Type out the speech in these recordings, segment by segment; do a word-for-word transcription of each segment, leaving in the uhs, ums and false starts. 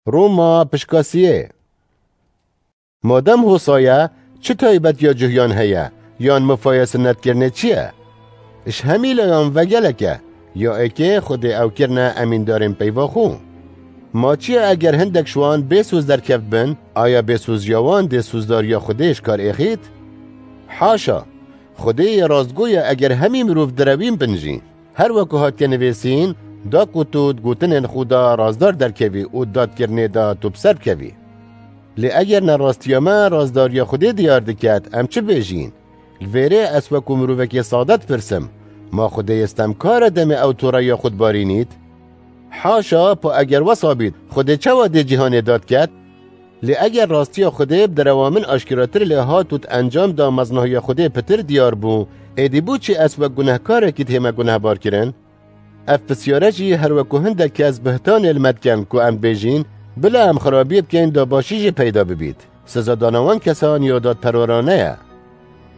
Roma pişka siyê. Madem hosa ye, çi taybetiya cuhiyan heye, yan mifaye sinnetkirinê çi ye? Ji hemî layan vegelek e, ya êkê Xwedê ew kirine emîndarên peyva xwe. Ma çi ye eger hindek ji wan bê soz derkevt bin, aya bêsoziya wan dê sozdariya Xwedê ji kar êxît? Haşa! Xwedê yê rastgo ye eger hemî mirov direwîn bin jî. Her weku hatiye nivîsîn, da ku tu di gotinên xwe de razdar derkevî û di dadkirinê de tu bi ser bikevî. Lê eger nerastiya me razdariya Xwedê diyar diket, em çi bêjîn? Li vêrê ez weku mirovekê sade dipirsim, ma Xwedê yê stemkar e demê ew toreya xwe dibarînît? Haşa, pa eger wesa bît, Xwedê çawa dê cîhanê dadiket? Lê eger rastiya Xwedê bi derewa min aşkeratir lê hat û di encam de meznahiya Xwedê pitir diyar bû, êdî bo çi ez wek gunehkarekî dihême gunehbarkirin? Ev pisyare jî her weku hindek kes bihtanê li me dikin ku em dibêjîn, bila em xirabiyê bikeyn da başî jî peyda bibît. Sizadana wan kesan ya dadperwerane ye.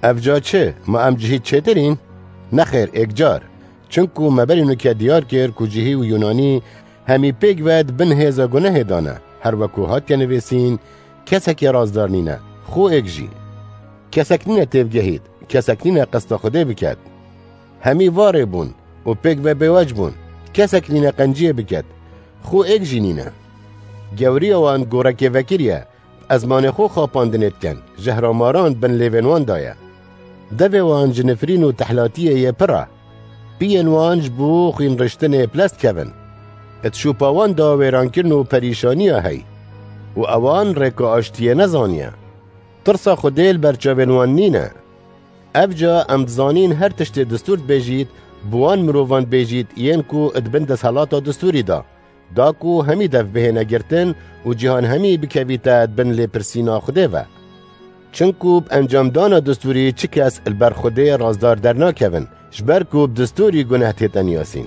Ev ca çi? Ma em cihî çêtir în? Nexêr, êkcar. Çinku me berî nuke diyar kir ku cihî û Yunanî hemî pêk ve di bin hêza gunehê de ne. Her weku hatiye nivîsîn, kesekî razdar nîne, xwe êk jî. Kesek nîne têbigehît, kesek nîne qesta Xwedê biket. Hemî varê bûn û pêk ve bêwec bûn, kesek nîne qenciyê biket, xwe êk jî nîne. Gewriya wan gorekê vekirî ye, ezmanê xwe xapandinê dikin, jehra maran bin lêvên wan de ye. Devê wan ji nifrîn û tehlatiyê yê pir e. Piyên wan ji bo xwînriştinê bi lez dikevin. Di şopa wan de wêrankirin û perîşaniya hey. Û ewan rêka aştiyê nezaniye. Tirsa Xwedê li ber çavên wan nîne. Ev ca em dizanîn her tiştê distûr dibêjît, bi wan mirovan dibêjît yên ku di bin desthilata distûrî de, da ku hemî dev bihêne girtin û cîhan hemî bikevîte di bin lêpirsîna Xwedê ve. Çinku bi encamdana distûrî çi kes li ber Xwedê razdar dernakevin, ji ber ku bi distûrî guneh tête niyasîn.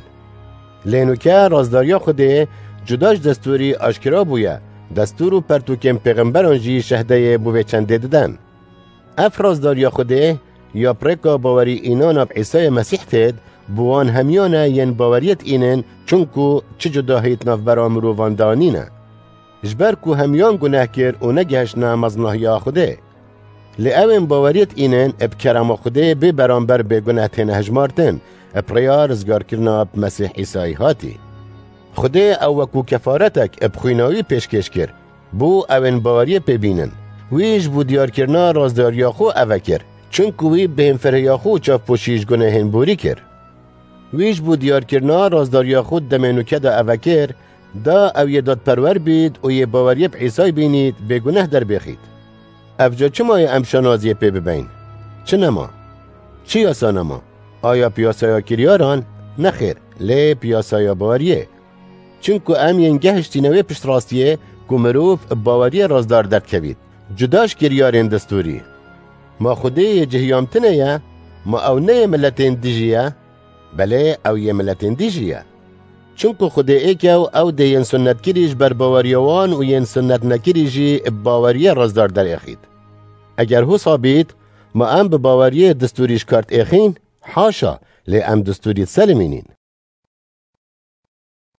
Lê nuke razdariya Xwedê cuda ji destûrî aşkera bûye, destûr û pertûkên pêxemberan jî şehdeyê bo vê çendê didin. Ev razdariya Xwedê ya bi rêka bawerî înana bi Îsayê Mesîh têt, bi wan hemiyan e yên baweriyê diînin, çinku çi cudahî di navbera mirovan de nîne. Ji ber ku hemiyan guneh kir û negihiştine meznahiya Xwedê. Lê ew ên baweriyê diînin, bi kerema Xwedê bê beramber bêguneh têne hejmartin, bi rêya rizgarkirina bi Mesîh Îsayî hatî. Xwedê ew weku kefaretek bi xwîna wî pêşkêş kir, bo ew ên baweriyê pê bînin. Wî ji bo diyarkirina razdariya xwe eve kir, çinku wî bêhênfirhiya xwe û çavpoşî ji gunehên borî kir. Wî ji bo diyarkirina razdariya xwe di demê nûke de eve kir, da ew yê dadperwer bît û yê baweriyê bi Îsayê bînît bêguneh derbêxît. Ev ca çima ye em şanaziyê pê bibeyn? Çi nema? Çi yasa nema? Aya piyasaya kiryaran? Nexêr, lê piyasaya baweriyê. Çinku em yên gehiştîne wê piştrastiyê ku mirov bi baweriyê razdar derdikevît, cuda ji kiryarên destûrî. Ma Xwedê yê cihiyam tune ye? Ma ew ne yê miletên dijî ye? Belê, ew yê miletên dijî ye. Çinku Xwedê êk e û ew dê yên sunnetkirî ji ber baweriya wan û yên sunnetnekirî jî bi baweriyê razdar derêxît. Eger hosa bît, ma em bi baweriyê distûrî ji kar diêxîn? Haşa, lê em distûrî diselimînîn.